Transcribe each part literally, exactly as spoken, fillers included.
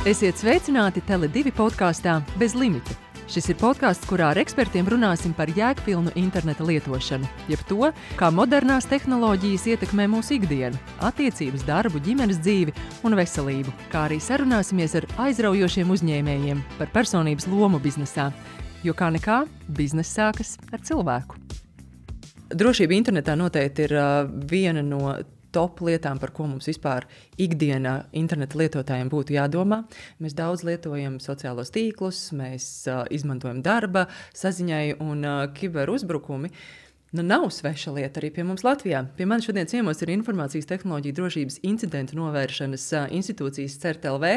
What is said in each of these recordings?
Esiet sveicināti Tele divi podkāstā Bez limita. Šis ir podkāsts, kurā ar ekspertiem runāsim par jēgpilnu interneta lietošanu, jeb to, kā modernās tehnoloģijas ietekmē mūsu ikdienu, attiecības, darbu, ģimenes dzīvi un veselību, kā arī sarunāsimies ar aizraujošiem uzņēmējiem par personības lomu biznesā, jo kā nekā bizness sākas ar cilvēku. Drošība internetā noteikti ir uh, viena no top lietām, par ko mums vispār ikdienā interneta lietotājiem būtu jādomā. Mēs daudz lietojam sociālos tīklus, mēs uh, izmantojam darba saziņai un uh, kiberuzbrukumi. Nu, nav sveša lieta arī pie mums Latvijā. Pie manis šodien ciemos ir Informācijas tehnoloģiju drošības incidentu novēršanas uh, institūcijas C E R T L V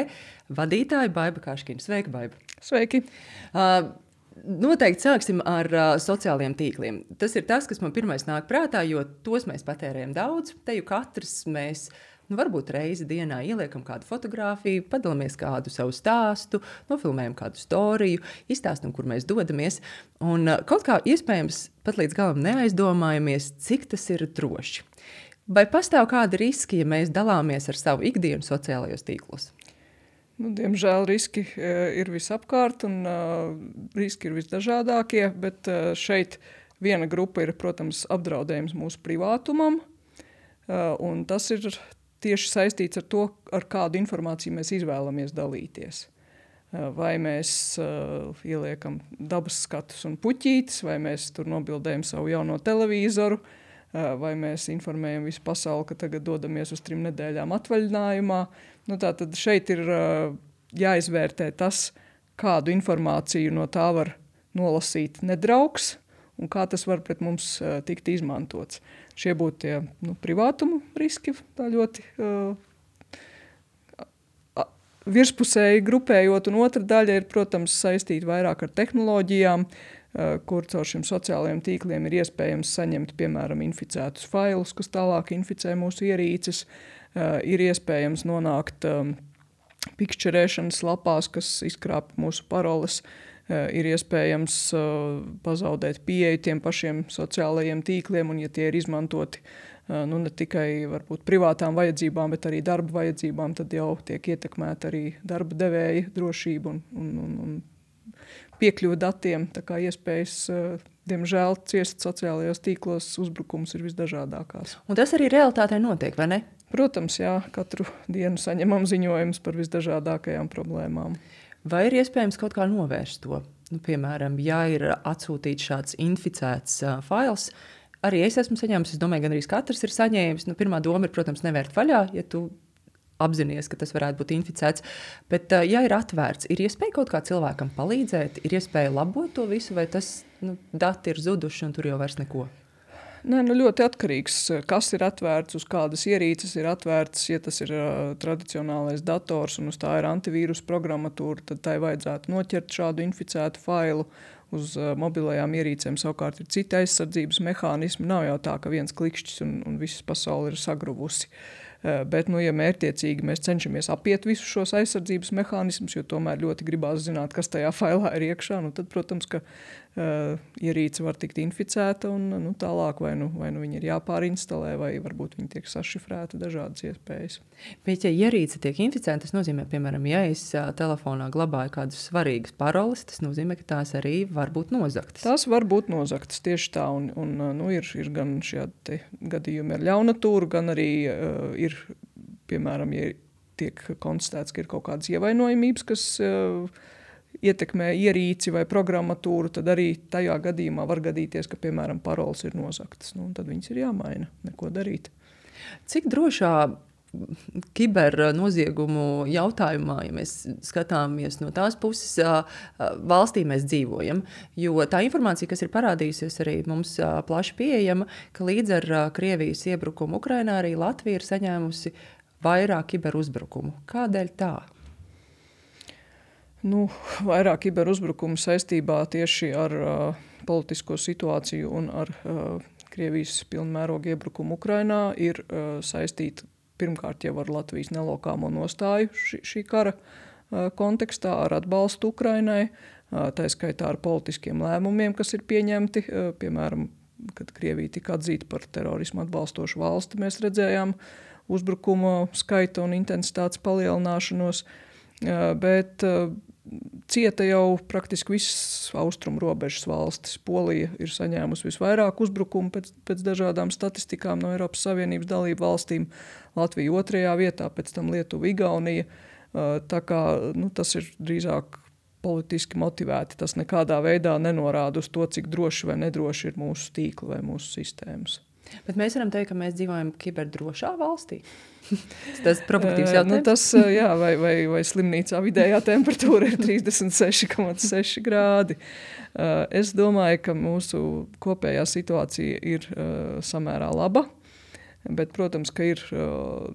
vadītāja Baiba Kaškina. Sveika, Baiba! Sveiki! Uh, Noteikti sāksim ar uh, sociālajiem tīkliem. Tas ir tas, kas man pirmais nāk prātā, jo tos mēs patērējam daudz. Te jau katrs mēs, nu, varbūt reizi dienā ieliekam kādu fotogrāfiju, padalāmies kādu savu stāstu, nofilmējam kādu storiju, izstāstam, kur mēs dodamies. Un uh, kaut kā iespējams pat līdz galam neaizdomājamies, cik tas ir droši. Vai pastāv kādi riski, ja mēs dalāmies ar savu ikdienu sociālajos tīklos? Nu, diemžēl riski uh, ir visapkārt un uh, riski ir visdažādākie, bet uh, šeit viena grupa ir, protams, apdraudējums mūsu privātumam, uh, un tas ir tieši saistīts ar to, ar kādu informāciju mēs izvēlamies dalīties. Uh, vai mēs uh, ieliekam dabas skatus un puķītes, vai mēs tur nobildējam savu jauno televizoru, uh, vai mēs informējam visu pasauli, ka tagad dodamies uz trim nedēļām atvaļinājumā. Nu, tātad šeit ir uh, jāizvērtē tas, kādu informāciju no tā var nolasīt nedraugs un kā tas var pret mums uh, tikt izmantots. Šie būtu tie nu, privātumu riski, tā ļoti uh, virspusēji grupējot, un otra daļa ir, protams, saistīta vairāk ar tehnoloģijām, uh, kur caur šiem sociālajiem tīkliem ir iespējams saņemt, piemēram, inficētus failus, kas tālāk inficē mūsu ierīces. Uh, ir iespējams nonākt um, pikšķerēšanas lapās, kas izkrāp mūsu paroles. Uh, ir iespējams uh, pazaudēt pieeju tiem pašiem sociālajiem tīkliem, un ja tie ir izmantoti uh, nu, ne tikai varbūt privātām vajadzībām, bet arī darba vajadzībām, tad jau tiek ietekmēta arī darba devēja drošība un, un, un, un piekļuva datiem. Tā kā iespējas, uh, diemžēl, ciest sociālajos tīklos uzbrukums ir visdažādākās. Un tas arī realitātē notiek, vai ne? Protams, jā, katru dienu saņemam ziņojumus par visdažādākajām problēmām. Vai ir iespējams kaut kā novērst to? Nu, piemēram, ja ir atsūtīts šāds inficēts uh, fails, arī es esmu saņēmis, es domāju, gan arī katrs ir saņēmis. Nu, pirmā doma ir, protams, nevērt vaļā, ja tu apzinies, ka tas varētu būt inficēts. Bet, uh, ja ir atvērts, ir iespēja kaut kā cilvēkam palīdzēt, ir iespēja labot to visu, vai tas nu, dati ir zuduši un tur jau vairs neko? Nē, nu ļoti atkarīgs, kas ir atvērts, uz kādas ierīces ir atvērts. Ja tas ir uh, tradicionālais dators un uz tā ir antivīrus programmatūra, tad tai vajadzētu noķert šādu inficētu failu. Uz uh, mobilajām ierīcēm savukārt ir citi aizsardzības mehānismi. Nav jau tā, ka viens klikšķis un, un visas pasauli ir sagruvusi. Uh, bet, nu, ja mērķiecīgi mēs cenšamies apiet visus šos aizsardzības mehānismus, jo tomēr ļoti gribās zināt, kas tajā failā ir iekšā, nu, tad, protams, ka uh, ierīce var tikt inficēta un nu, tālāk vai nu, vai nu viņa ir jāpārinstalē, vai varbūt viņa tiek sašifrēta, dažādas iespējas. Bet, ja ierīce tiek inficēta, tas nozīmē, piemēram, ja es uh, telefonā glabāju kādus svarīgas paroles, tas nozīmē, ka tās arī var būt nozagtas. Tās var būt nozagtas tieši tā, un, un nu, ir, ir gan šie gadījumi ar ļaunatūru, gan arī uh, ir piemēram, ja tiek konstatēts, ka ir kaut kādas ievainojamības, kas uh, ietekmē ierīci vai programmatūru, tad arī tajā gadījumā var gadīties, ka, piemēram, paroles ir nozagtas. Nu, tad viņas ir jāmaina, neko darīt. Cik drošā kibernoziegumu jautājumā, ja mēs skatāmies no tās puses, valstī mēs dzīvojam, jo tā informācija, kas ir parādījusies arī mums plaši pieejama, ka līdz ar Krievijas iebrukumu Ukrainā arī Latvija ir saņēmusi vairāk kiberuzbrukumu. Kādēļ tā? Nu, vairāk kiberuzbrukumu saistībā tieši ar uh, politisko situāciju un ar uh, Krievijas pilnmēroga iebrukumu Ukrainā ir uh, saistīta pirmkārt jau ar Latvijas nelokāmo nostāju šī, šī kara uh, kontekstā, ar atbalstu Ukrainai, uh, tā skaitā ar politiskiem lēmumiem, kas ir pieņemti, uh, piemēram, kad Krievija tika atzīta par terorismu atbalstošu valsti, mēs redzējām uzbrukumu skaita un intensitātes palielināšanos. bet cieta jau praktiski visas austrumu robežas valstis. Polija ir saņēmusi visvairāk uzbrukumu pēc, pēc dažādām statistikām no Eiropas Savienības dalību valstīm. Latvija otrajā vietā, pēc tam Lietuva, Igaunija. Tā kā nu, tas ir drīzāk politiski motivēti. Tas nekādā veidā nenorāda uz to, cik droši vai nedroši ir mūsu tīkli vai mūsu sistēmas. Bet mēs varam teikt, ka mēs dzīvojam kiberdrošā valstī. Tas ir provokatīvs jautājums. Nu, tas, jā, vai, vai, vai slimnīcā vidējā temperatūra ir trīsdesmit seši komats seši grādi. Es domāju, ka mūsu kopējā situācija ir samērā laba, bet, protams, ka ir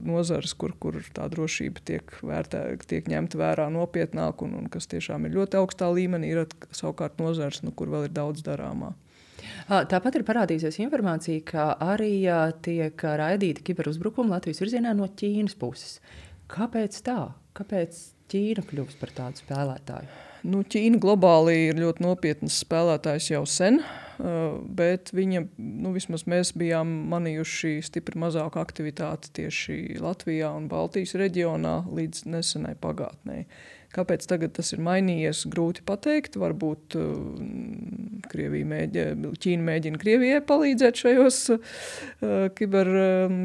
nozares, kur, kur tā drošība tiek, vērtē, tiek ņemta vērā nopietnāk un, un kas tiešām ir ļoti augstā līmenī, ir savukārt nozares, nu, kur vēl ir daudz darāmā. Tāpat ir parādījusies informācija, ka arī tiek raidīti kiberuzbrukumi Latvijas virzienā no Ķīnas puses. Kāpēc tā? Kāpēc Ķīna kļūst par tādu spēlētāju? Nu, Ķīna globāli ir ļoti nopietnas spēlētājs jau sen, bet viņa, nu, vismaz mēs bijām manījuši stipri mazāku aktivitāti tieši Latvijā un Baltijas reģionā līdz nesenai pagātnē. Kāpēc tagad tas ir mainījies, grūti pateikt. Varbūt Krievija mēģina, Ķīna mēģina Krievijai palīdzēt šajos uh, kiber um,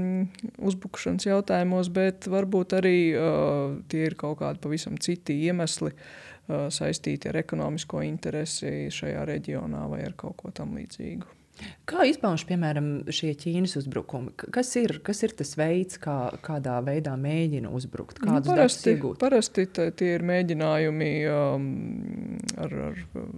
uzbrukušanas jautājumos, bet varbūt arī uh, tie ir kaut kādi pavisam citi iemesli uh, saistīti ar ekonomisko interesi šajā reģionā vai ar kaut ko tam līdzīgu. Kā izpauž, piemēram, šie Ķīnas uzbrukumi? Kas ir, kas ir tas veids, kā, kādā veidā mēģina uzbrukt? Kādus nu, datus parasti, iegūt? Parasti tie ir mēģinājumi um, ar, ar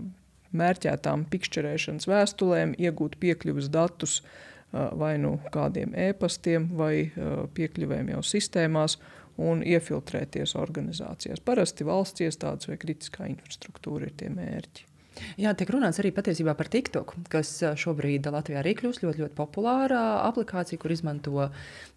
mērķētām pikšķerēšanas vēstulēm iegūt piekļuves datus uh, vai nu kādiem ēpastiem vai uh, piekļuvēm jau sistēmās un iefiltrēties organizācijās. Parasti valsts iestādes vai kritiskā infrastruktūra ir tie mērķi. Jā, tiek runāts arī patiesībā par TikTok, kas šobrīd Latvijā arī kļūst ļoti, ļoti populāra aplikācija, kur izmanto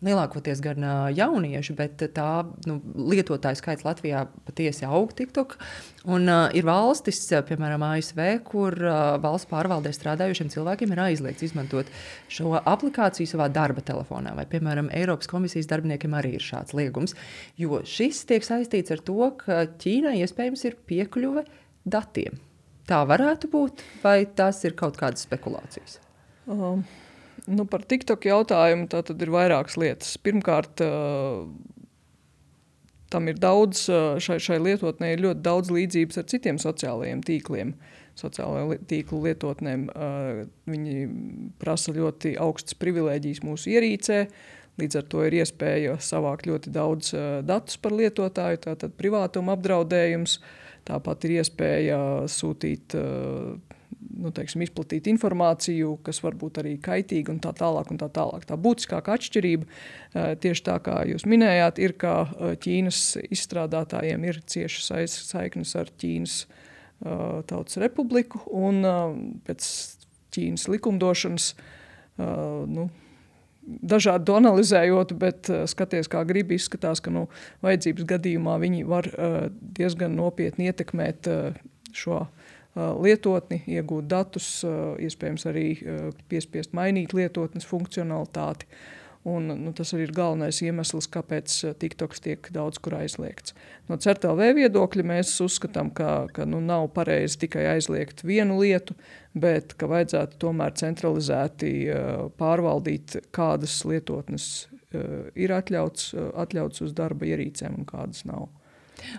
lielākoties gan jaunieši, bet tā nu, lietotāju skaits Latvijā patiesi aug TikTok. Un uh, ir valstis, piemēram, A S V, kur uh, valsts pārvaldē strādājušiem cilvēkiem ir aizliegts izmantot šo aplikāciju savā darba telefonā. Vai, piemēram, Eiropas komisijas darbiniekiem arī ir šāds liegums, jo šis tiek saistīts ar to, ka Ķīnai iespējams ir piekļuve datiem. Tā varētu būt, vai tās ir kaut kādas spekulācijas? Um, nu par TikTok jautājumu tā tad ir vairākas lietas. Pirmkārt, uh, tam ir daudz, šai, šai lietotnē ir ļoti daudz līdzības ar citiem sociālajiem tīkliem. Sociālajiem tīklu lietotnēm uh, viņi prasa ļoti augstas privilēģijas mūsu ierīcē, līdz ar to ir iespēja savākt ļoti daudz uh, datus par lietotāju, tātad privātuma apdraudējums. Tāpat ir iespēja sūtīt, nu, teiksim, izplatīt informāciju, kas var būt arī kaitīga un tā tālāk un tā tālāk. Tā būtiskākā atšķirība, tieši tā kā jūs minējāt, ir, ka Ķīnas izstrādātājiem ir cieša saiknes ar Ķīnas Tautas Republiku un pēc Ķīnas likumdošanas, nu, dažādi to analizējot, bet uh, skaties, kā gribi, izskatās, ka nu, vajadzības gadījumā viņi var uh, diezgan nopietni ietekmēt uh, šo uh, lietotni, iegūt datus, uh, iespējams arī uh, piespiest mainīt lietotnes funkcionalitāti. Un, nu, tas arī ir galvenais iemesls, kāpēc TikToks tiek daudz kur aizliegts. No C E R T L V viedokļa mēs uzskatām, ka, ka nu, nav pareizi tikai aizliegt vienu lietu, bet ka vajadzētu tomēr centralizēti uh, pārvaldīt, kādas lietotnes uh, ir atļauts, uh, atļauts uz darba ierīcēm un kādas nav.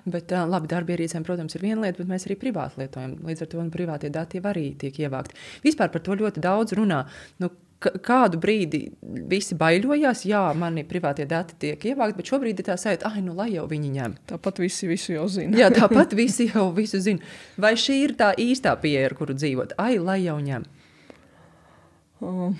Bet, labi, darba ierīcēm, protams, ir viena lieta, bet mēs arī privāti lietojam. Līdz ar to privātie dati arī tiek ievākti. Vispār par to ļoti daudz runā. Nu, kādu brīdi visi baiļojās, jā, mani privātie dati tiek ievākti, bet šobrīd ir tā sajūta, ai, nu, lai jau viņi ņem. Tāpat visi visu jau zina. Jā, tāpat visi jau visu zina. Vai šī ir tā īstā pieeja, ar kuru dzīvot? Ai, lai jau ņem. Uh.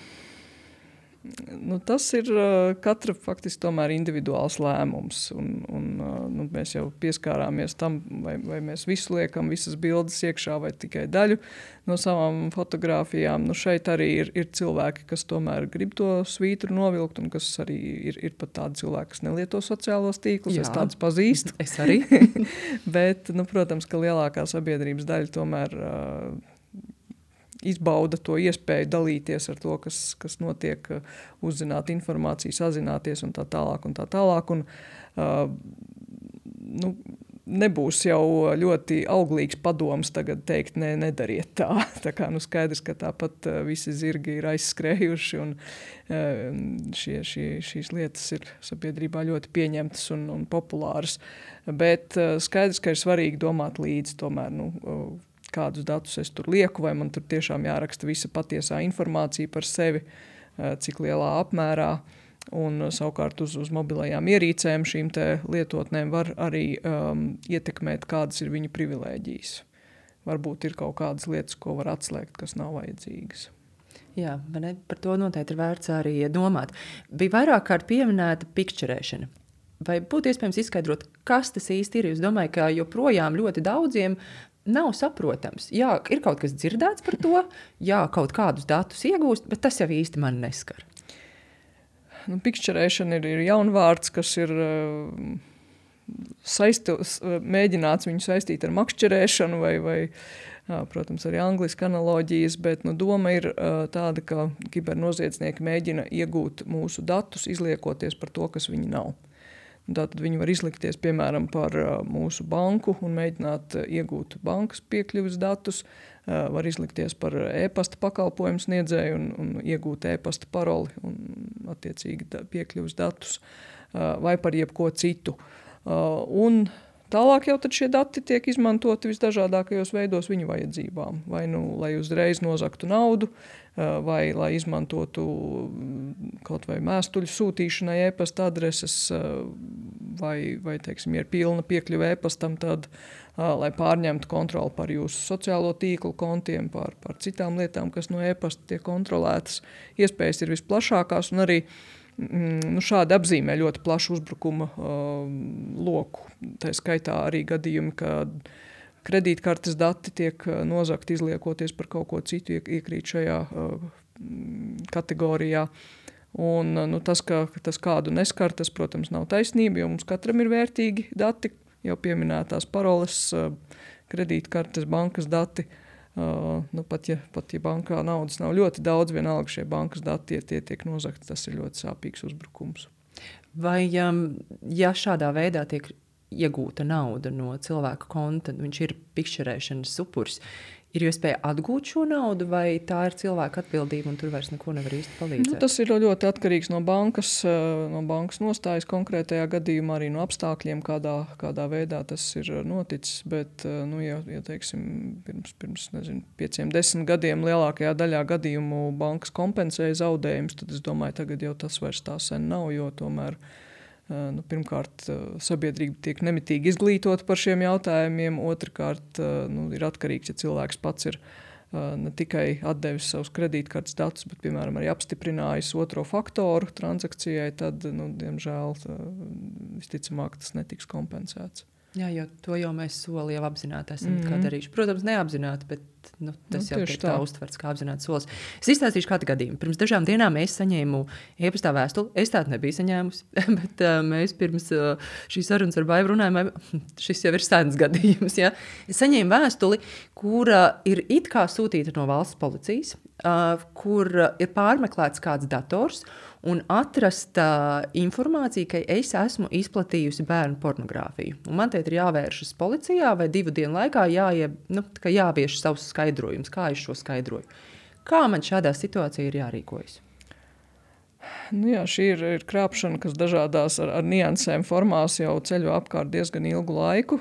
Nu, tas ir uh, katra faktiski tomēr individuāls lēmums. Un, un, uh, nu, mēs jau pieskārāmies tam, vai, vai mēs visu liekam, visas bildes iekšā vai tikai daļu no savām fotogrāfijām. Nu, šeit arī ir, ir cilvēki, kas tomēr grib to svītru novilkt un kas arī ir, ir pat tādi cilvēki, kas nelieto sociālos tīklus. Jā. Es tādus pazīstu. Es arī. Bet, nu, protams, ka lielākā sabiedrības daļa tomēr uh, izbauda to iespēju dalīties ar to, kas, kas notiek, uzzināt informāciju, sazināties un tā tālāk un tā tālāk. Un, uh, nu, nebūs jau ļoti auglīgs padoms tagad teikt, ne, nedariet tā. Tā kā nu skaidrs, ka tāpat visi zirgi ir aizskrējuši un šie, šie, šīs lietas ir sabiedrībā ļoti pieņemtas un, un populāras. Bet skaidrs, ka ir svarīgi domāt līdzi tomēr, nu, kādus datus es tur lieku, vai man tur tiešām jāraksta visa patiesā informācija par sevi, cik lielā apmērā. Un savukārt uz, uz mobilajām ierīcēm šīm te lietotnēm var arī um, ietekmēt, kādas ir viņu privilēģijas. Varbūt ir kaut kādas lietas, ko var atslēgt, kas nav vajadzīgas. Jā, ne, par to noteikti ir vērts arī domāt. Bija vairāk kārt pieminēta pikčerēšana. Vai būtu iespējams izskaidrot, kas tas īsti ir? Es domāju, ka joprojām ļoti daudziem nav saprotams. Jā, ir kaut kas dzirdēts par to, jā, kaut kādus datus iegūst, bet tas jau īsti mani neskar. Nu, pikšķerēšana ir, ir jaunvārds, kas ir uh, saisti, mēģināts viņu saistīt ar makšķerēšanu vai, vai jā, protams, arī angliski analoģijas, bet nu, doma ir uh, tāda, ka kibernoziedznieki mēģina iegūt mūsu datus, izliekoties par to, kas viņi nav. Tātad viņi var izlikties, piemēram, par uh, mūsu banku un mēģināt uh, iegūt bankas piekļuves datus, uh, var izlikties par e-pasta pakalpojumu sniedzēju un, un iegūt e-pasta paroli un attiecīgi da, piekļuves datus, uh, vai par jebko citu. Uh, un tālāk jau tad šie dati tiek izmantoti visdažādākajos veidos viņu vajadzībām. Vai nu, lai uzreiz nozaktu naudu, vai lai izmantotu kaut vai mēstuļu sūtīšanai e-pasta adreses, vai, vai teiksim, ja ir pilna piekļuve e-pastam, tad, lai pārņemtu kontroli par jūsu sociālo tīklu kontiem, par, par citām lietām, kas no e-pasta tiek kontrolētas. Iespējas ir visplašākās un arī Nu, šādi apzīmē ļoti plašu uzbrukuma uh, loku. Tā skaitā arī gadījumi, kad kredītkartes dati tiek nozakti izliekoties par kaut ko citu, iekrīt šajā uh, kategorijā. Un nu, tas, ka tas kādu neskar, tas, protams, nav taisnība, jo mums katram ir vērtīgi dati, jau pieminētās paroles, uh, kredītkartes, bankas dati. Uh, nu, pat, ja, pat ja bankā naudas nav ļoti daudz, vienalga šie bankas dati, ja tie tiek nozakti, tas ir ļoti sāpīgs uzbrukums. Vai um, ja šādā veidā tiek iegūta nauda no cilvēka konta, viņš ir pikšķerēšanas upuris, ir iespēja atgūt šo naudu, vai tā ir cilvēka atbildība un tur vairs neko nevar īsti palīdzēt? Nu, tas ir ļoti atkarīgs no bankas, no bankas nostājas konkrētajā gadījumā, arī no apstākļiem, kādā, kādā veidā tas ir noticis, bet, nu, ja, ja teiksim, pirms, pirms nezinu, pieciem, desmit gadiem lielākajā daļā gadījumu bankas kompensēja zaudējumus, tad es domāju, tagad jau tas vairs tā sen nav, jo tomēr Nu, pirmkārt, sabiedrība tiek nemitīgi izglītot par šiem jautājumiem, otrkārt, nu, ir atkarīgs, ja cilvēks pats ir ne tikai atdevis savus kredītkartes datus, bet, piemēram, arī apstiprinājis otro faktoru transakcijai, tad, nu, diemžēl, visticamāk, tas netiks kompensēts. Jā, jo to jau mēs soli jau apzināti esam mm-hmm. kā darījuši. Protams, neapzināti, bet nu, tas nu, jau tiek tā, tā uztverts kā apzināti solis. Es izstāstīšu kādu gadījumu. Pirms dažām dienām es saņēmu e-pastā vēstuli. Es tādu nebiju saņēmusi, bet uh, mēs pirms uh, šīs sarunas ar Baivu runājām, šis jau ir sēdnes gadījums. Ja? Es saņēmu vēstuli, kura ir it kā sūtīta no valsts policijas, uh, kur ir pārmeklēts kāds dators, un atrasta informācija, ka es esmu izplatījusi bērnu pornogrāfiju. Un man te ir jāvēršas policijā vai divu dienu laikā jāie, nu, jāvieš savus skaidrojumus, kā es šo skaidroju. Kā man šādā situācijā ir jārīkojas? Nu jā, šī ir, ir krāpšana, kas dažādās ar, ar niansēm formās jau ceļo apkārt diezgan ilgu laiku.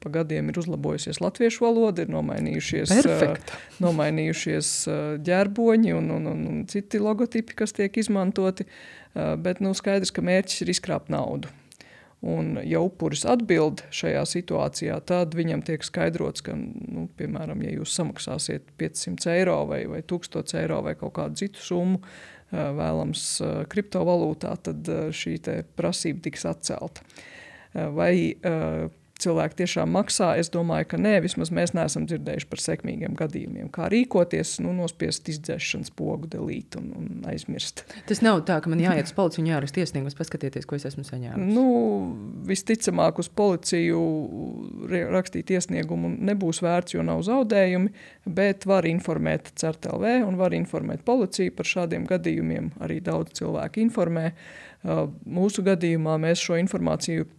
Pa gadiem ir uzlabojusies latviešu valoda, ir nomainījušies, uh, nomainījušies uh, ģērboņi un, un, un, un citi logotipi, kas tiek izmantoti. Uh, bet nu, skaidrs, ka mērķis ir izkrāpt naudu. Un ja upuris atbild šajā situācijā, tad viņam tiek skaidrots, ka, nu, piemēram, ja jūs samaksāsiet piecsimt eiro vai, vai tūkstoš eiro vai kaut kādu citu summu, vēlams kriptovalūtā, tad šī te prasība tiks atcelta. Vai cilvēki tiešām maksā? Es domāju, ka nē, vismaz mēs neesam dzirdējuši par sekmīgiem gadījumiem. Kā rīkoties, nu, nospiest izdzēšanas pogu, delīt un, un aizmirst. Tas nav tā, ka man jāiet uz policiju un jāraksta iesniegumus, paskatieties, ko es esmu saņēmusi. Nu, visticamāk uz policiju rakstīt iesniegumu nebūs vērts, jo nav zaudējumi, bet var informēt C E R T L V un var informēt policiju par šādiem gadījumiem. Arī daudz cilvēku informē. Mūsu gadījumā mēs šo informāciju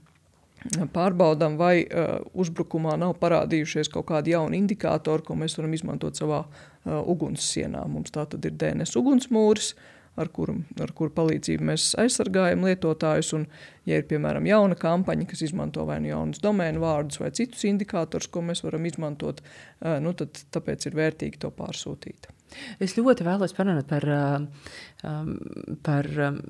pārbaudām, vai uh, uzbrukumā nav parādījušies kaut kādi jauni indikātori, ko mēs varam izmantot savā uh, ugunssienā. Mums tā tad ir D N S ugunsmūris, ar kuru, ar kuru palīdzību mēs aizsargājam lietotājus, un, ja ir, piemēram, jauna kampaņa, kas izmanto vai nu jaunus domēnu vārdus vai citus indikātors, ko mēs varam izmantot, uh, nu tad tāpēc ir vērtīgi to pārsūtīt. Es ļoti vēlos parunāt par, um, par um,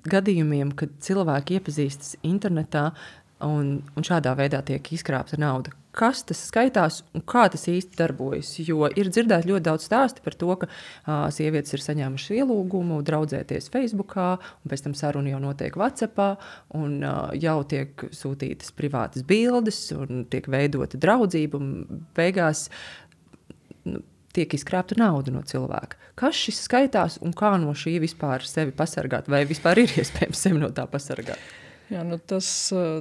gadījumiem, kad cilvēki iepazīstas internetā, Un, un šādā veidā tiek izkrāpta nauda. Kas tas skaitās un kā tas īsti darbojas? Jo ir dzirdēt ļoti daudz stāstu par to, ka uh, sievietes ir saņēmušas ielūgumu draudzēties Facebookā, un pēc tam saruna jau notiek WhatsAppā, un uh, jau tiek sūtītas privātas bildes, un tiek veidota draudzība, un beigās nu, tiek izkrāpta nauda no cilvēka. Kas šis skaitās un kā no šī vispār sevi pasargāt? Vai vispār ir iespējams sevi no tā pasargāt? Jā, nu tas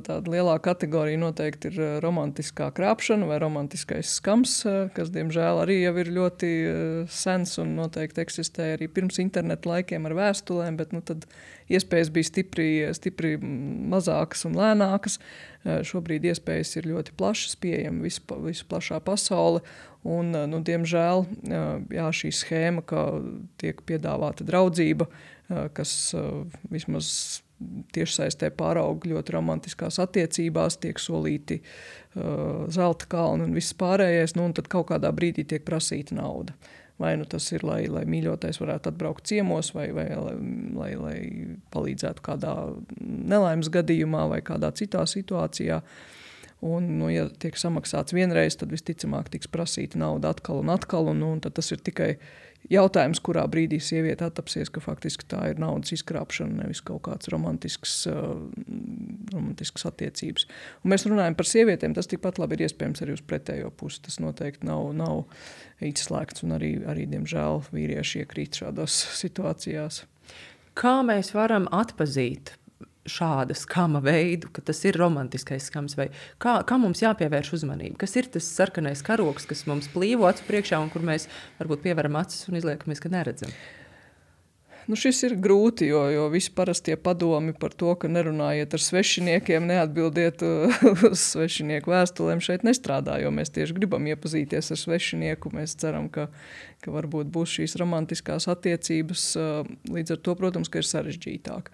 tāda lielā kategorija noteikti ir romantiskā krāpšana vai romantiskais skams, kas, diemžēl, arī jau ir ļoti sens un noteikti eksistē arī pirms internetu laikiem ar vēstulēm, bet nu, tad iespējas bija stipri, stipri mazākas un lēnākas. Šobrīd iespējas ir ļoti plašas, pieejama visu, visu plašā pasaule, un, nu, diemžēl, jā, šī schēma, ka tiek piedāvāta draudzība, kas vismaz tiešsaistē pāraug ļoti romantiskās attiecībās, tiek solīti uh, zelta kalni un viss pārējais, nu, un tad kaut kādā brīdī tiek prasīta nauda. Vai nu tas ir, lai, lai mīļotais varētu atbraukt ciemos, vai, vai lai, lai, lai palīdzētu kādā nelaimes gadījumā vai kādā citā situācijā. Un, nu, ja tiek samaksāts vienreiz, tad visticamāk tiks prasīta nauda atkal un atkal, un, nu, un tad tas ir tikai jautājums, kurā brīdī sieviete attapsies, ka faktiski tā ir naudas izkrāpšana, nevis kaut kāds romantisks, uh, romantisks attiecības. Un mēs runājam par sievietēm, tas tikpat labi ir iespējams arī uz pretējo pusi. Tas noteikti nav, nav izslēgts, un arī, arī, diemžēl, vīrieši iekrīt šādās situācijās. Kā mēs varam atpazīt šāda skama veidu, ka tas ir romantiskais skams, vai kā, kā mums jāpievērš uzmanība? Kas ir tas sarkanais karoks, kas mums plīvo acu priekšā un kur mēs varbūt pievaram acis un izliekamies, ka neredzam? Nu, šis ir grūti, jo, jo visi parastie padomi par to, ka nerunājiet ar svešiniekiem, neatbildiet uz svešinieku vēstulēm, šeit nestrādā, jo mēs tieši gribam iepazīties ar svešinieku. Mēs ceram, ka, ka varbūt būs šīs romantiskās attiecības. Līdz ar to, protams, ka ir sarežģītāk.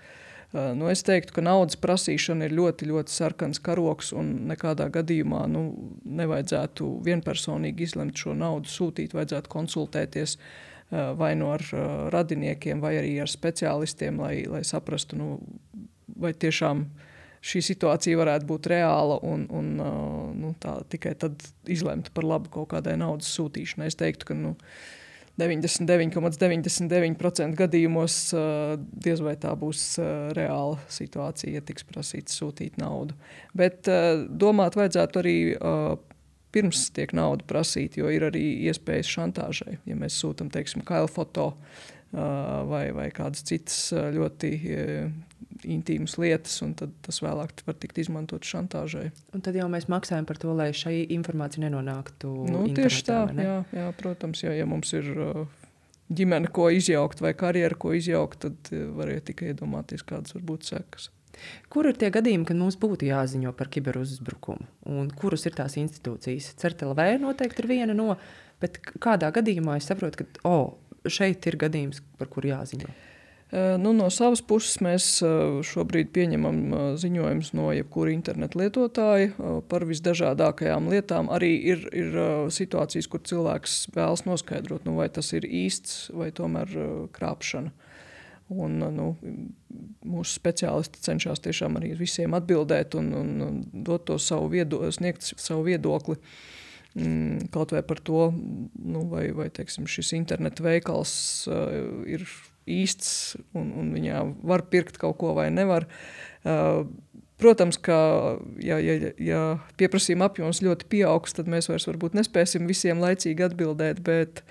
Nu, es teiktu, ka naudas prasīšana ir ļoti, ļoti sarkans karoks, un nekādā gadījumā nu, nevajadzētu vienpersonīgi izlemt šo naudu sūtīt, vajadzētu konsultēties vai no ar radiniekiem, vai arī ar speciālistiem, lai, lai saprastu, nu, vai tiešām šī situācija varētu būt reāla un, un nu, tā, tikai tad izlemt par labu kaut kādai naudas sūtīšanai. Es teiktu, ka nu, deviņdesmit deviņi komats deviņdesmit deviņi procenti gadījumos diez vai tā būs reāla situācija, ja tiks prasīts sūtīt naudu. Bet domāt vajadzētu arī pirms tiek nauda prasīt, jo ir arī iespējas šantāžai. Ja mēs sūtam, teiksim, kailfoto vai, vai kādas citas ļoti intīmas lietas, un tad tas vēlāk var tikt izmantot šantāžai. Un tad jau mēs maksājam par to, lai šī informācija nenonāktu nu, internetā, tieši tā, ne? jā, jā, protams, jo, ja mums ir ģimene, ko izjaukt vai karjera, ko izjaukt, tad variet tikai iedomāties, kādas var būt sekas. Kur ir tie gadījumi, kad mums būtu jāziņo par kiberuzbrukumu? Un kuras ir tās institūcijas? CERT L V noteikti ir viena no, bet kādā gadījumā es saprotu, ka oh, šeit ir gadījums, par kuru jāziņo? Nu, no savas puses mēs šobrīd pieņemam ziņojumus no jebkura interneta lietotāja par visdažādākajām lietām. Arī ir, ir situācijas, kur cilvēks vēlas noskaidrot, nu, vai tas ir īsts vai tomēr krāpšana. Un, nu, mūsu speciālisti cenšas tiešām arī visiem atbildēt un, un dot to savu viedokli, sniegt savu viedokli. Kaut vai par to, nu, vai, vai teiksim, šis interneta veikals uh, ir īsts un, un viņā var pirkt kaut ko vai nevar. Uh, protams, ka ja, ja, ja pieprasījuma apjoms ļoti pieaugs, tad mēs vairs varbūt nespēsim visiem laicīgi atbildēt, bet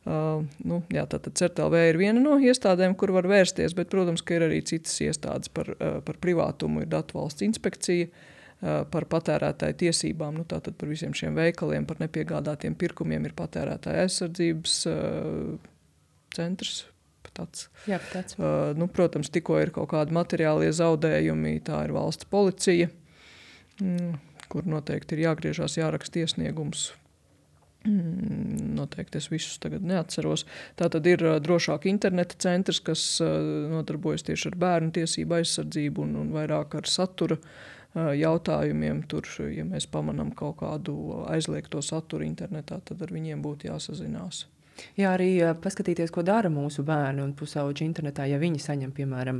uh, nu, jā, tātad CERT L V ir viena no iestādēm, kur var vērsties, bet, protams, ka ir arī citas iestādes par, uh, par privātumu, ir Datu valsts inspekcija, par patērētāju tiesībām, nu tātad par visiem šiem veikaliem, par nepiegādātiem pirkumiem ir patērētāja aizsardzības uh, centrs. Tāds. Jā, tāds. Uh, nu, protams, tikko ir kaut kādi materiālie zaudējumi, tā ir valsts policija. mm, kur noteikti ir jāgriežās, jāraksta iesniegums. Mm, noteikti es visus tagad neatceros. Tātad ir uh, drošāk interneta centrs, kas uh, nodarbojas tieši ar bērnu tiesību aizsardzību un, un vairāk ar satura uh, jautājumiem. Tur, ja mēs pamanām kaut kādu aizliegto saturu internetā, tad ar viņiem būtu jāsazinās. Jā, arī uh, paskatīties, ko dara mūsu bērni un pusauģi internetā, ja viņi saņem, piemēram,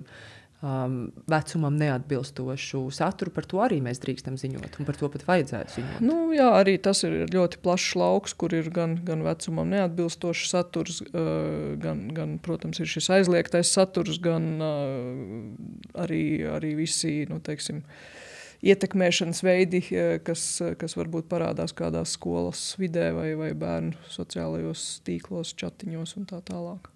um, vecumam neatbilstošu saturu, par to arī mēs drīkstam ziņot, un par to pat vajadzētu ziņot. Nu, jā, arī tas ir ļoti plašs lauks, kur ir gan, gan vecumam neatbilstošs saturs, uh, gan, gan, protams, ir šis aizliegtais saturs, gan uh, arī, arī visi, nu, teiksim, ietekmēšanas veidi, kas, kas varbūt parādās kādās skolas vidē vai, vai bērnu sociālajos tīklos, čatiņos un tā tālāk.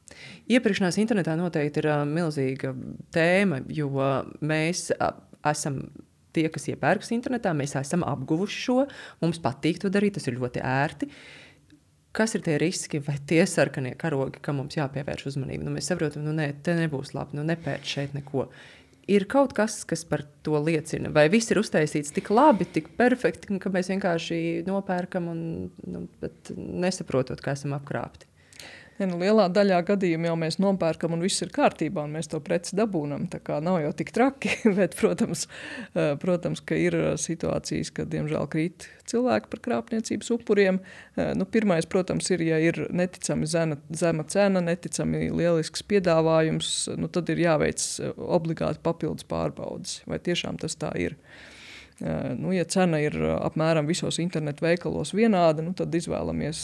Iepirkšanās internetā noteikti ir uh, milzīga tēma, jo uh, mēs uh, esam tie, kas iepērkas internetā, mēs esam apguvuši šo, mums patīk to darīt, tas ir ļoti ērti. Kas ir tie riski vai tie sarkanie karogi, kam mums jāpievērš uzmanību? Nu, mēs saprotam, nu ne, te nebūs labi, nu nepēc šeit neko. Ir kaut kas, kas par to liecina, vai viss ir uztaisīts tik labi, tik perfekti, ka mēs vienkārši nopērkam un nu, bet nesaprotot, kā esam apkrāpti. Ja, nu, lielā daļā gadījumā jau mēs nopērkam un viss ir kārtībā un mēs to preci dabūnam, tā kā nav jau tik traki, bet, protams, protams, ka ir situācijas, kad, diemžēl, krīt cilvēki par krāpniecības upuriem. Nu, pirmais, protams, ir, ja ir neticami zena, zema cena, neticami lielisks piedāvājums, nu, tad ir jāveic obligāti papildus pārbaudes, vai tiešām tas tā ir. Nu, ja cena ir apmēram visos internetu veikalos vienāda, nu, tad izvēlamies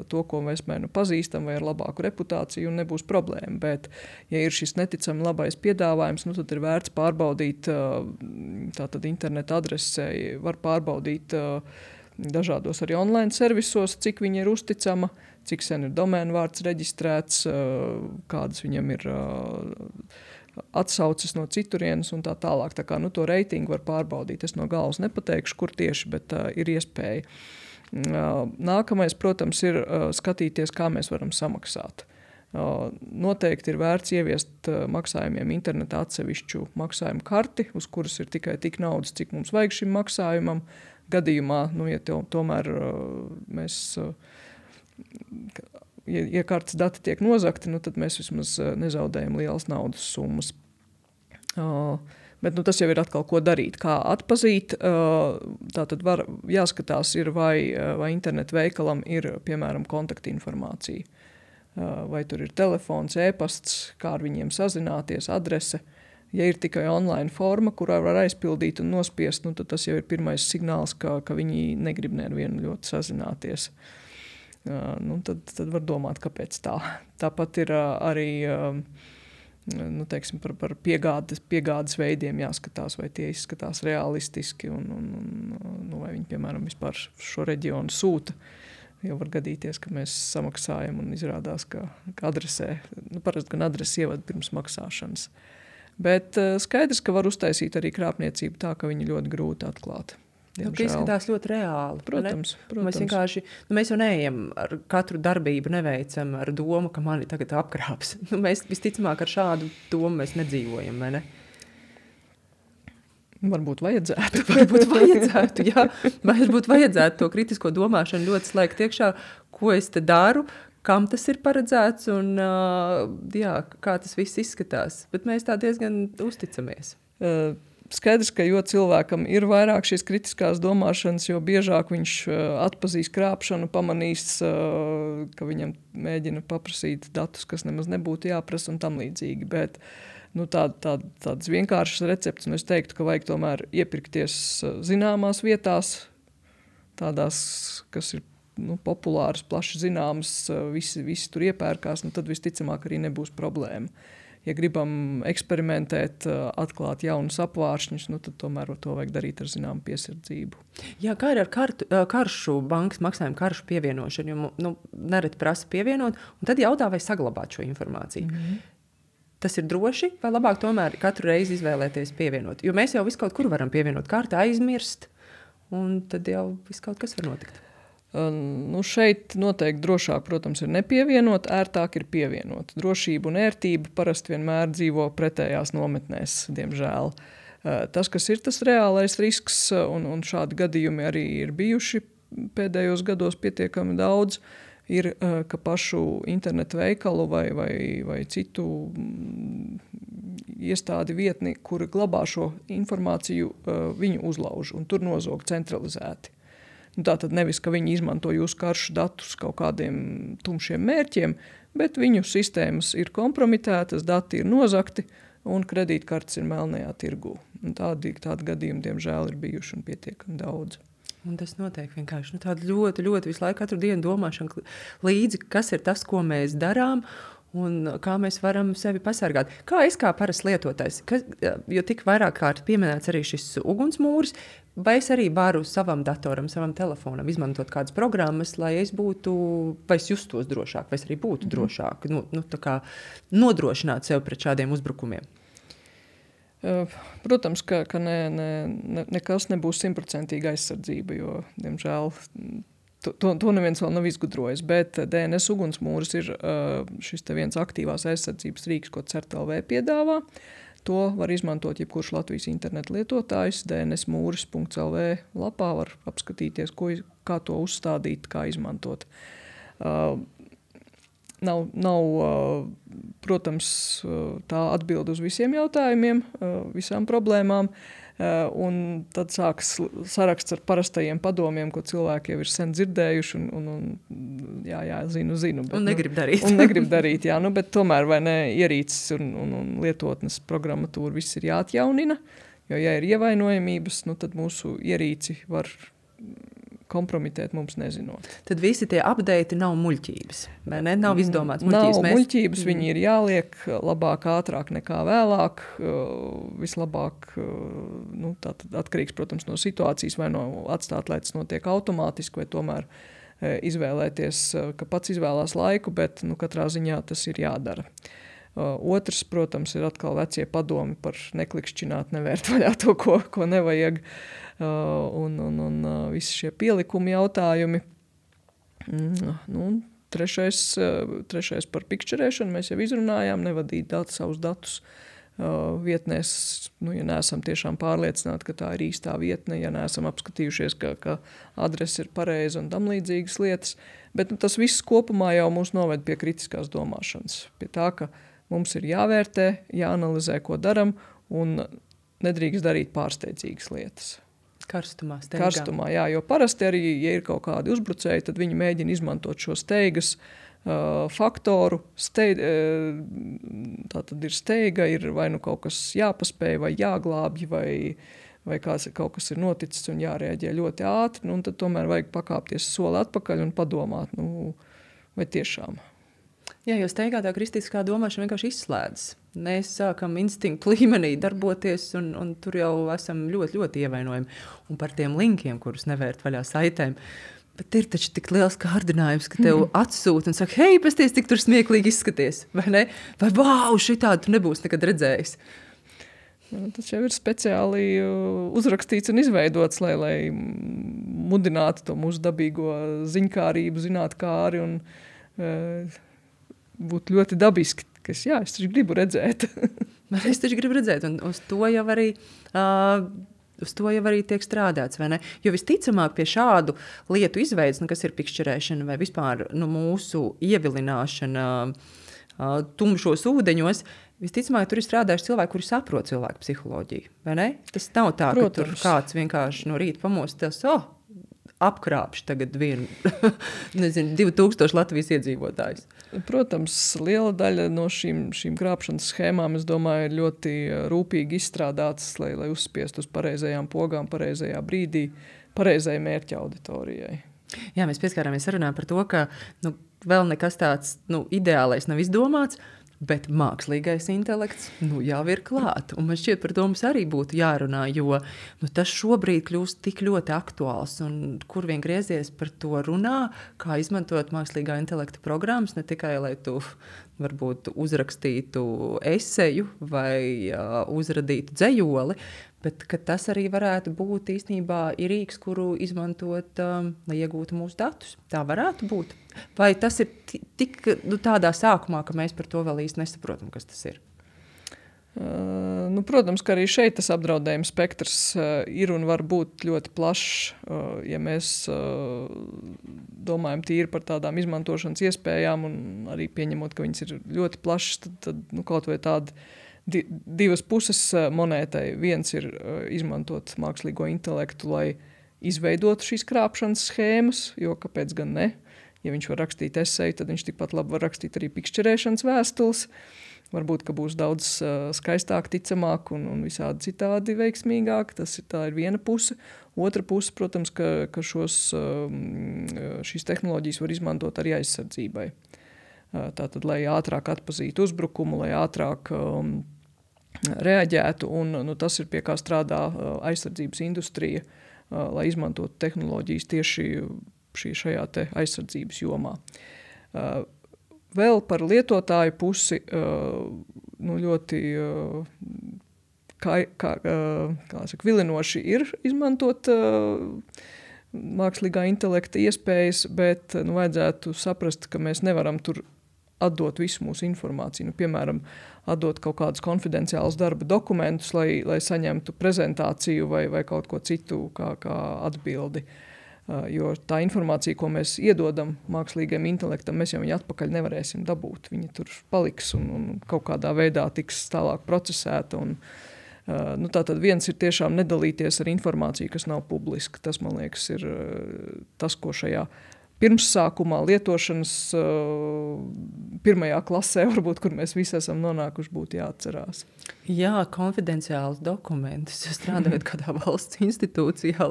to, ko mēs mēnu pazīstam vai ar labāku reputāciju un nebūs problēma. Bet, ja ir šis neticami labais piedāvājums, nu, tad ir vērts pārbaudīt, tātad internetu adresē, var pārbaudīt dažādos arī online servisos, cik viņi ir uzticama, cik sen ir domēnu vārds reģistrēts, kādas viņam ir atsauces no citurienes un tā tālāk. Tā kā, nu, to reitingu var pārbaudīt. Es no galvas nepateikšu, kur tieši, bet uh, ir iespēja. Uh, nākamais, protams, ir uh, skatīties, kā mēs varam samaksāt. Uh, noteikti ir vērts ieviest uh, maksājumiem internetā atsevišķu maksājumu karti, uz kuras ir tikai tik naudas, cik mums vajag šim maksājumam. Gadījumā, nu, ja to, tomēr uh, mēs... Uh, Ja, ja kartes dati tiek nozagti, nu, tad mēs vismaz nezaudējam lielas naudas summas. Uh, bet nu, tas jau ir atkal, ko darīt, kā atpazīt. Uh, tātad var, jāskatās, ir, vai, vai internetu veikalam ir, piemēram, kontaktinformācija. Uh, vai tur ir telefons, e-pasts, kā ar viņiem sazināties, adrese. Ja ir tikai online forma, kurā var aizpildīt un nospiest, nu, tad tas jau ir pirmais signāls, ka, ka viņi negrib nevienu ļoti sazināties. Uh, nu, tad, tad var domāt, kāpēc tā. Tāpat ir uh, arī uh, nu, teiksim, par, par piegādes, piegādes veidiem jāskatās, vai tie izskatās realistiski un, un, un nu, vai viņi, piemēram, vispār šo reģionu sūta. Jau var gadīties, ka mēs samaksājam un izrādās, ka, ka adresē, nu, parasti gan adresi ievad pirms maksāšanas. Bet uh, skaidrs, ka var uztaisīt arī krāpniecību tā, ka viņi ļoti grūti atklāt. Nu, izskatās ļoti reāli. Protams, protams. Mēs vienkārši, nu, mēs jau neejam ar katru darbību, neveicam ar domu, ka mani tagad apkrāps. Nu, mēs visticamāk ar šādu domu mēs nedzīvojam, vai ne? Varbūt vajadzētu. Varbūt vajadzētu, jā. Varbūt vajadzētu to kritisko domāšanu ļoti slēgt iekšā, ko es te daru, kam tas ir paredzēts un uh, jā, kā tas viss izskatās. Bet mēs tā diezgan uzticamies. Uh. Skaidrs, ka jo cilvēkam ir vairāk šīs kritiskās domāšanas, jo biežāk viņš atpazīs krāpšanu, pamanīs, ka viņam mēģina paprasīt datus, kas nemaz nebūtu jāprasa un tam līdzīgi. Bet nu, tā, tā, tādas vienkāršas receptes, un es teiktu, ka vajag tomēr iepirkties zināmās vietās, tādās, kas ir nu, populāras, plaši zināmas, visi, visi tur iepērkās, nu, tad visticamāk arī nebūs problēma. Ja gribam eksperimentēt, atklāt jaunus apvāršņus, nu, tad tomēr to vajag darīt ar zināmu piesardzību. Jā, kā ir ar kartu, karšu, bankas maksājumu karšu pievienošanu, jo nu, nereti prasa pievienot, un tad jautā, vai saglabāt šo informāciju. Mm-hmm. Tas ir droši, vai labāk tomēr katru reizi izvēlēties pievienot? Jo mēs jau visu kaut kur varam pievienot kartu, aizmirst, un tad jau viss kaut kas var notikt. Nu, šeit noteikti drošāk, protams, ir nepievienot, ērtāk ir pievienot. Drošība un ērtība parasti vienmēr dzīvo pretējās nometnēs, diemžēl. Tas, kas ir tas reālais risks, un, un šādi gadījumi arī ir bijuši pēdējos gados pietiekami daudz, ir, ka pašu internetu veikalu vai, vai, vai citu iestādi vietni, kuri glabā šo informāciju, viņu uzlauž un tur nozog centralizēti. Tātad nevis, ka viņi izmanto jūsu karšu datus kaut kādiem tumšiem mērķiem, bet viņu sistēmas ir kompromitētas, dati ir nozagti un kredītkartes ir melnajā tirgū. Un tādi, tādi gadījumi, diemžēl, ir bijuši un pietiekami daudz. Un tas notiek vienkārši nu, tāda ļoti, ļoti visu laiku katru dienu domāšana līdzi, kas ir tas, ko mēs darām un kā mēs varam sevi pasargāt. Kā es kā parasts lietotājs, kas, jo tik vairāk kārt pieminēts arī šis ugunsmūris, vai es arī varu savam datoram, savam telefonam izmantot kādas programmas, lai es būtu, vai es justos drošāk, vai es arī būtu drošāk, nu, nu, tā kā nodrošināt sev pret šādiem uzbrukumiem? Protams, ka, ka ne, ne, ne, nekas nebūs simtprocentīga aizsardzība, jo, diemžēl, to, to, to neviens vēl nav izgudrojis, bet D N S ugunsmūris ir šis te viens aktīvās aizsardzības rīks, ko C E R T L V piedāvā. To var izmantot jebkurš Latvijas interneta lietotājs. D N S mūris punkts L V lapā var apskatīties, ko, kā to uzstādīt, kā izmantot. Uh, nav, nav uh, protams, uh, tā atbild uz visiem jautājumiem, uh, visām problēmām. Uh, un tad sāks saraksts ar parastajiem padomiem, ko cilvēki jau ir sen dzirdējuši un, un, un jā, jā, zinu, zinu. Bet, un negrib darīt. Un negrib darīt, jā, nu, bet tomēr vai ne ierīces un, un, un lietotnes programmatūra viss ir jāatjaunina, jo ja ir ievainojamības, nu, tad mūsu ierīci var kompromitēt mums nezinot. Tad visi tie update nav muļķības, vai ne? Nav izdomāts muļķības. Nav mēs... muļķības, mm. viņi ir jāliek labāk, ātrāk nekā vēlāk, vislabāk, nu, tātad atkarīgs, protams, no situācijas, vai no atstāt, lai tas notiek automātiski, vai tomēr izvēlēties, ka pats izvēlās laiku, bet, nu, katrā ziņā tas ir jādara. Otrs, protams, ir atkal vecie padomi par neklikšķināt, nevērt vaļā to, ko, ko nevajag. Uh, un, un, un uh, visi šie pielikumi jautājumi. Mm, nu, trešais, uh, trešais par pikšķerēšanu mēs jau izrunājām, nevadīt dat, savus datus uh, vietnēs, nu, ja neesam tiešām pārliecināti, ka tā ir īstā vietne, ja neesam apskatījušies, ka, ka adrese ir pareiza un tam līdzīgas lietas. Bet nu, tas viss kopumā jau mūs noved pie kritiskās domāšanas, pie tā, ka mums ir jāvērtē, jāanalizē, ko daram, un nedrīkst darīt pārsteidzīgas lietas. Karstumā, steigā. Karstumā, jā, jo parasti arī, ja ir kaut kādi uzbrucēji, tad viņi mēģina izmantot šo steigas uh, faktoru. Steid, uh, tā tad ir steiga, ir vai nu kaut kas jāpaspēj, vai jāglābj, vai, vai kāds, kaut kas ir noticis un jārēģē ļoti ātri, nu, un tad tomēr vajag pakāpties soli atpakaļ un padomāt, nu, vai tiešām. Jā, jo steigā tā kristiskā domāšana vienkārši izslēdzas. Mēs sākam instinktu līmenī darboties, un, un tur jau esam ļoti, ļoti ievainojami. Un par tiem linkiem, kurus nevērt vaļā saitēm. Bet ir taču tik liels kārdinājums, ka tev atsūta un saka, hei, pasties, tik tur smieklīgi izskaties, vai ne? Vai, vau, šitādu tu nebūs nekad redzējis. Tas jau ir speciāli uzrakstīts un izveidots, lai, lai mudinātu to mūsu dabīgo ziņkārību, zinātkāri un uh, būtu ļoti dabiski, kas, jā, es taču gribu redzēt. es taču gribu redzēt, un uz to jau arī, uh, uz to jau arī tiek strādāts, vai ne? Jo visticamāk pie šādu lietu izveids, nu, kas ir pikšķerēšana vai vispār nu, mūsu ievilināšana uh, tumšos ūdeņos, visticamāk tur ir strādājuši cilvēki, kuri saprot cilvēku psiholoģiju, vai ne? Tas nav tā, Protams. Ka tur kāds vienkārši no rīta pamostas, oh, apkrāpš tagad vienu, nezinu, divi tūkstoši Latvijas iedzīvotājus. Protams, liela daļa no šīm, šīm krāpšanas schēmām, es domāju, ir ļoti rūpīgi izstrādātas, lai, lai uzspiest uz pareizajām pogām, pareizajā brīdī, pareizai mērķa auditorijai. Jā, mēs pieskārāmies sarunā par to, ka nu, vēl nekas tāds nu, ideālais nav izdomāts, bet mākslīgais intelekts nu, jau ir klāt. Un man šķiet, par to mums arī būtu jārunā, jo nu, tas šobrīd kļūst tik ļoti aktuāls. Un kur vien griezies par to runā, kā izmantot mākslīgā intelekta programmas, ne tikai, lai tu varbūt uzrakstītu eseju vai uh, uzradītu dzejoli, bet ka tas arī varētu būt īstenībā ir rīks, kuru izmantot, um, lai iegūtu mūsu datus. Tā varētu būt. Vai tas ir tik nu, tādā sākumā, ka mēs par to vēl īsti nesaprotam, kas tas ir? Uh, nu, protams, ka arī šeit tas apdraudējuma spektrs uh, ir un var būt ļoti plašs, uh, ja mēs uh, domājam tīri par tādām izmantošanas iespējām un arī pieņemot, ka viņas ir ļoti plašas, tad, tad nu, kaut vai tādi di- divas puses uh, monētai. Viens ir uh, izmantot mākslīgo intelektu, lai izveidotu šīs krāpšanas schēmas, jo kāpēc gan ne? Ja viņš var rakstīt eseju, tad viņš tikpat labi var rakstīt arī pikšķerēšanas vēstules. Varbūt, ka būs daudz uh, skaistāk, ticamāk un, un visādi citādi veiksmīgāk. Tas ir, tā ir viena puse. Otra puse, protams, ka, ka šos, um, šīs tehnoloģijas var izmantot arī aizsardzībai. Uh, tātad, lai ātrāk atpazītu uzbrukumu, lai ātrāk um, reaģētu. Un, nu, tas ir pie kā strādā uh, aizsardzības industrija, uh, lai izmantotu tehnoloģijas tieši šī, šajā te aizsardzības jomā. Uh, Vēl par lietotāju pusi nu, ļoti kā, kā, kā saka, vilinoši ir izmantot mākslīgā intelekta iespējas, bet nu, vajadzētu saprast, ka mēs nevaram tur atdot visu mūsu informāciju. Nu, piemēram, atdot kaut kādus konfidenciālus darba dokumentus, lai, lai saņemtu prezentāciju vai, vai kaut ko citu kā, kā atbildi. Jo tā informācija, ko mēs iedodam mākslīgajam intelektam, mēs jau viņu atpakaļ nevarēsim dabūt. Viņa tur paliks un, un kaut kādā veidā tiks tālāk procesēta. Un, uh, nu, tātad viens ir tiešām nedalīties ar informāciju, kas nav publiska. Tas, man liekas, ir uh, tas, ko šajā pirmssākumā lietošanas uh, pirmajā klasē, varbūt, kur mēs visi esam nonākuši, būtu jāatcerās. Jā, konfidenciāls dokumentus. Strādājot kādā valsts institūcijā,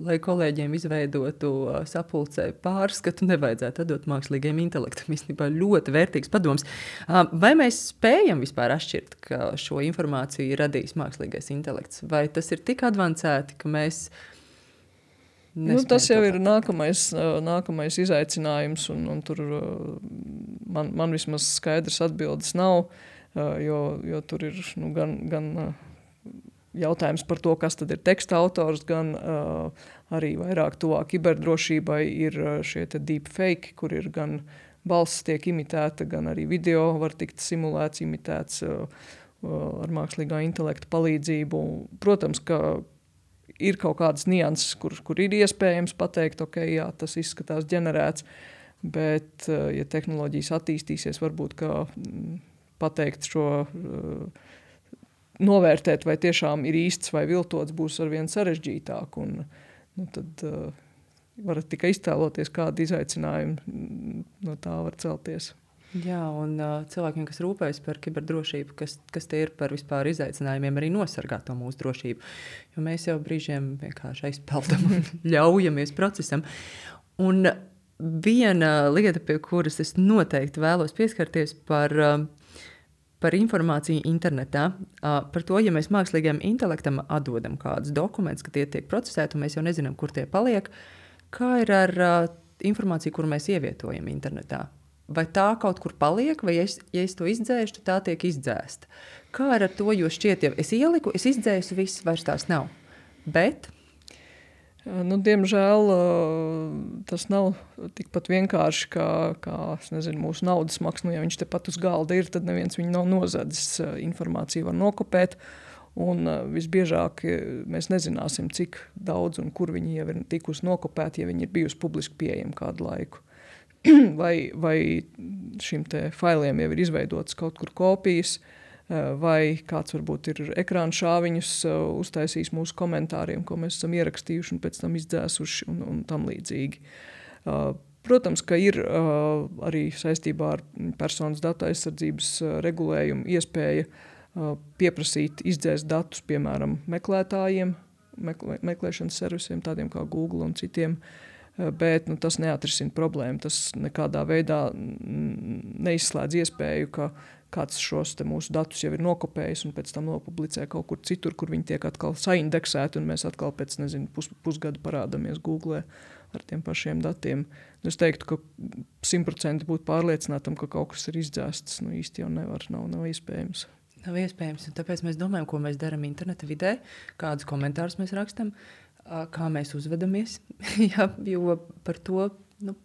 lai kolēģiem izveidotu uh, sapulcē pārskatu, nevajadzētu atdot mākslīgajam intelektam. Īstenībā ļoti vērtīgs padoms. Uh, vai mēs spējam vispār atšķirt, ka šo informāciju radīs mākslīgais intelekts? Vai tas ir tik advancēti, ka mēs Nu, tas jau ir nākamais, nākamais izaicinājums, un, un tur man, man vismaz skaidrs atbildes nav, jo, jo tur ir nu, gan, gan jautājums par to, kas tad ir teksta autors, gan arī vairāk tuvāk kiberdrošībai ir šie te deepfake, kur ir gan balss tiek imitēta, gan arī video var tikt simulēts, imitēts ar mākslīgā intelekta palīdzību. Protams, ka ir kaut kādas nianses, kur, kur ir iespējams pateikt, ok, jā, tas izskatās ģenerēts, bet, ja tehnoloģijas attīstīsies, varbūt, ka pateikt šo, novērtēt, vai tiešām ir īsts vai viltots, būs arvien sarežģītāk. Un, nu, tad uh, varat tikai iztēloties, kādi izaicinājumi no tā var celties. Jā, un uh, cilvēkiem, kas rūpējas par kiberdrošību, kas, kas tie ir par vispār izaicinājumiem, arī nosargāt to mūsu drošību. Jo mēs jau brīžiem vienkārši aizpeldam un ļaujamies procesam. Un viena lieta, pie kuras es noteikti vēlos pieskarties par, uh, par informāciju internetā, uh, par to, ja mēs mākslīgajam intelektam atdodam kādus dokumentus, ka tie tiek procesēti, un mēs jau nezinām, kur tie paliek, kā ir ar uh, informāciju, kuru mēs ievietojam internetā? Vai tā kaut kur paliek, vai ja es, ja es to izdzēšu, tad tā tiek izdzēsta. Kā ar to, jo šķiet, ja es ieliku, es izdzēsu, viss vairs tās nav. Bet? Nu, diemžēl tas nav tikpat vienkārši, kā, kā es nezinu, mūsu naudas maks. Nu, ja viņš tepat uz galda ir, tad neviens viņu nav nozadzis. Informāciju var nokopēt, un visbiežāk mēs nezināsim, cik daudz un kur viņi jau ir tikusi nokopēti, ja viņi ir bijusi publiski pieejami kādu laiku. Vai, vai šim te failiem jau ir izveidotas kaut kur kopijas, vai kāds varbūt ir ekrāna šāviņus uztaisījis mūsu komentāriem, ko mēs esam ierakstījuši un pēc tam izdzēsuši un, un tam līdzīgi. Protams, ka ir arī saistībā ar personas datu aizsardzības regulējumu iespēja pieprasīt izdzēst datus, piemēram, meklētājiem, meklē, meklēšanas servisiem, tādiem kā Google un citiem, bet nu, tas neatrisina problēmu. Tas nekādā veidā neizslēdz iespēju, ka kāds šos te mūsu datus jau ir nokopējis un pēc tam nopublicē kaut kur citur, kur viņi tiek atkal saindeksēti, un mēs atkal pēc, nezinu, pus, pusgadu parādamies Google ar tiem pašiem datiem. Es teiktu, ka simt procenti būt pārliecinātam, ka kaut kas ir izdzēsts, nu īsti jau nevar, nav, nav iespējams. Nav iespējams, un tāpēc mēs domājam, ko mēs darām interneta vidē, kādus komentārus mēs rakstam, kā mēs uzvedamies, jā, jo par to, nu,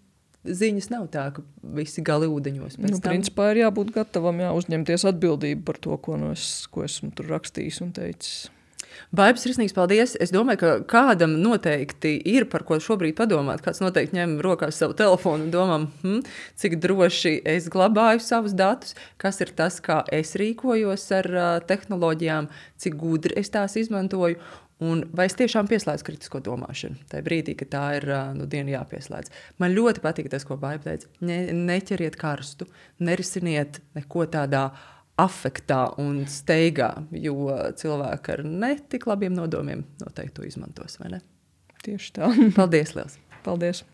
ziņas nav tā, ka visi gali ūdeņos. Nu, tam... Principā ir jābūt gatavam, jā, uzņemties atbildību par to, ko, no es, ko esmu tur rakstījis un teicis. Baibs, sirsnīgs paldies. Es domāju, ka kādam noteikti ir par ko šobrīd padomāt. Kāds noteikti ņem rokās savu telefonu un domā, hm, cik droši es glabāju savus datus, kas ir tas, kā es rīkojos ar uh, tehnoloģijām, cik gudri es tās izmantoju. Un vai es tiešām pieslēdzu kritisko domāšanu? Tajā brīdī, kad tā ir nu, diena jāpieslēdz. Man ļoti patīk tas, ko Baiba teica. Ne, neķeriet karstu, nerisiniet neko tādā afektā un steigā, jo cilvēki ar netik labiem nodomiem noteikti to izmantos, vai ne? Tieši tā. Paldies liels! Paldies!